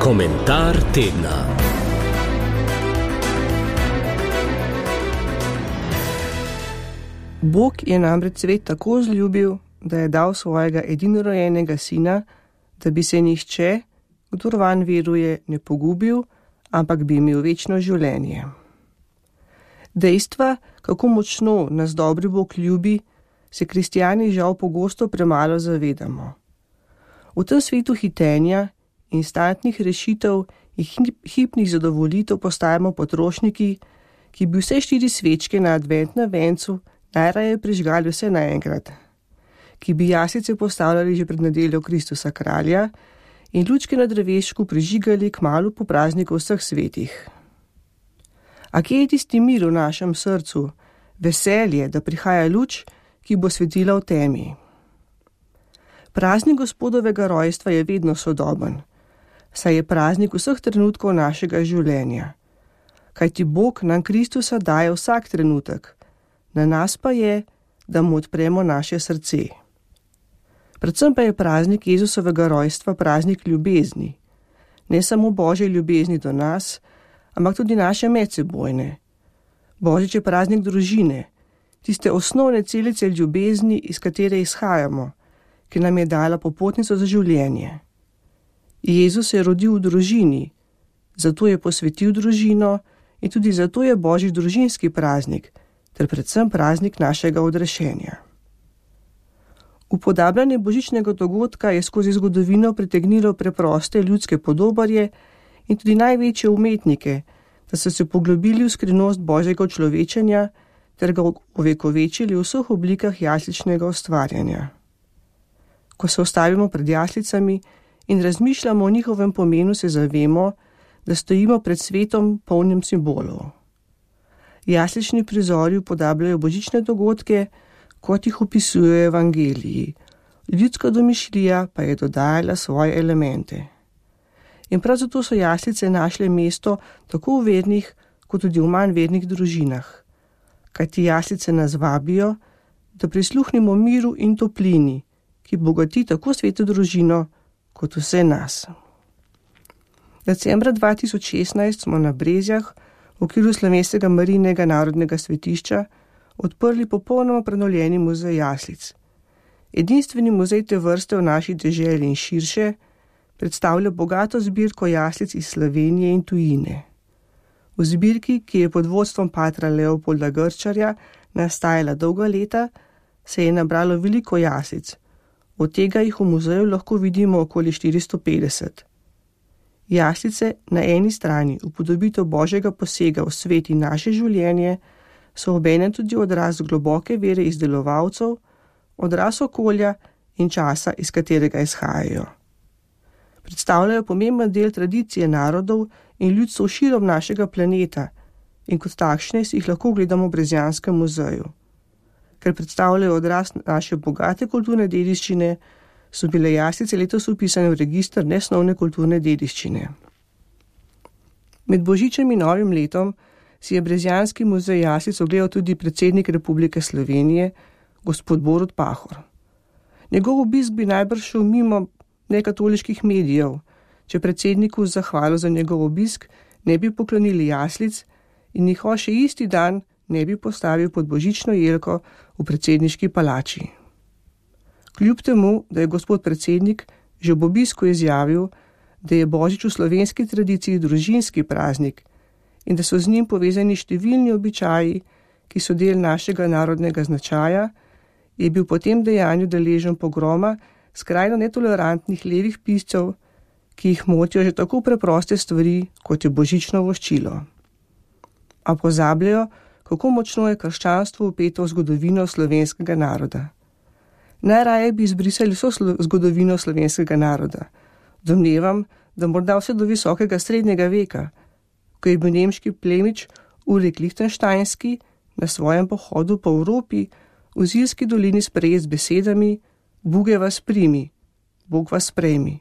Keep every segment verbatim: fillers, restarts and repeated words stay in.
Komentar tedna. Bog je namreč svet tako vzljubil, da je dal svojega edinorojenega sina, da bi se nihče, kdor vanj veruje, ne pogubil, ampak bi imel večno življenje. Dejstva, kako močno nas dobri Bog ljubi, se kristjani žal pogosto premalo zavedamo. V tem svetu hitenja, instantnih rešitev in hipnih zadovoljitev postajamo potrošniki, ki bi vse štiri svečke na adventnem vencu najraje prižgali vse naenkrat, ki bi jaslice postavljali že pred nedeljo Kristusa kralja in lučke na drevešku prižigali kmalu po prazniku vseh svetih. A kje je tisti mir v našem srcu, veselje, da prihaja luč, ki bo svetila v temi? Praznik Gospodovega rojstva je vedno sodoben, saj je praznik vseh trenutkov našega življenja. Kajti Bog nam Kristusa daje vsak trenutek, na nas pa je, da mu odpremo naše srce. Predvsem pa je praznik Jezusovega rojstva praznik ljubezni. Ne samo Božje ljubezni do nas, ampak tudi naše medsebojne. Božič je praznik družine, tiste osnovne celice ljubezni, iz katere izhajamo, ki nam je dala popotnico za življenje. Jezus se je rodil v družini, zato je posvetil družino in tudi zato je Božji družinski praznik, ter predvsem praznik našega odrešenja. Upodabljanje božičnega dogodka je skozi zgodovino pritegnilo preproste ljudske podobarje in tudi največje umetnike, da so se poglobili v skrivnost Božjega človečenja ter ga ovekovečili v vseh oblikah jasličnega ustvarjanja. Ko se ustavimo pred jaslicami in razmišljamo o njihovem pomenu, se zavemo, da stojimo pred svetom polnim simbolov. Jaslični prizori upodabljajo božične dogodke, kot jih opisujejo evangeliji. Ljudska domišljija pa je dodajala svoje elemente. In prav zato so jaslice našle mesto tako v vernih, kot tudi v manj vernih družinah. Kajti jaslice nas vabijo, da prisluhnemo miru in toplini, ki bogati tako sveto družino, kot vse nas. Decembra dva tisoč šestnajst smo na Brezjah v okviru Slovenskega Marijinega narodnega svetišča odprli popolnoma prenovljeni muzej jaslic. Edinstveni muzej te vrste v naši deželi in širše predstavlja bogato zbirko jaslic iz Slovenije in tujine. V zbirki, ki je pod vodstvom patra Leopolda Grčarja nastajala dolga leta, se je nabralo veliko jaslic. Od tega jih v muzeju lahko vidimo okoli štiristo petdeset. Jaslice na eni strani upodobitev Božjega posega v svet in naše življenje so obenem tudi odraz globoke vere izdelovalcev, odraz okolja in časa, iz katerega izhajajo. Predstavljajo pomemben del tradicije narodov in ljudstv širom našega planeta in kot takšne si jih lahko gledamo v Brezjanskem muzeju. Ker predstavljajo odraz naše bogate kulturne dediščine, so bile jaslice letos vpisane v register nesnovne kulturne dediščine. Med božičem in novim letom si je Brezjanski muzej jaslic ogledal tudi predsednik Republike Slovenije, gospod Borut Pahor. Njegov obisk bi najbrž šel mimo nekatoliških medijev, če predsedniku z zahvalo za njegov obisk ne bi poklonili jaslic in jih še isti dan ne bi postavil pod božično jelko v predsedniški palači. Kljub temu, da je gospod predsednik že ob obisku izjavil, da je božič v slovenski tradiciji družinski praznik in da so z njim povezani številni običaji, ki so del našega narodnega značaja, je bil po tem dejanju deležen pogroma skrajno netolerantnih levih piscev, ki jih motijo že tako preproste stvari, kot je božično voščilo. A pozabljajo, kako močno je krščanstvo vpeto v zgodovino slovenskega naroda. Najraje bi izbrisali vso slo- zgodovino slovenskega naroda. Domnevam, da morda vse do visokega srednjega veka, ko je bil nemški plemič Ulrik Lichtensteinski na svojem pohodu po Evropi v Zilski dolini sprejet z besedami Buge vas primi, Bog vas sprejmi.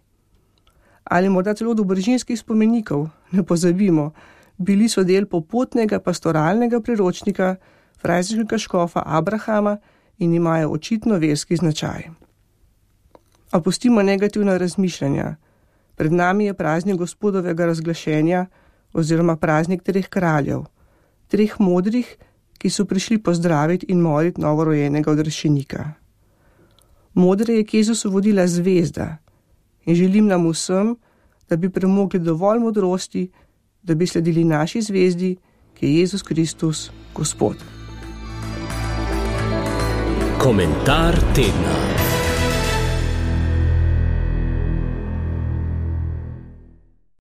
Ali morda celo do bržinskih spomenikov, ne pozabimo, bili so del popotnega pastoralnega priročnika frajziškega škofa Abrahama in imajo očitno verski značaj. A pustimo negativna razmišljanja. Pred nami je praznik Gospodovega razglašenja oziroma praznik treh kraljev, treh modrih, ki so prišli pozdraviti in moliti novorojenega odrešenika. Modre je k Jezusu vodila zvezda in želim nam vsem, da bi premogli dovolj modrosti, da bi sledili naši zvezdi, ki je Jezus Kristus, Gospod. Komentar tedna.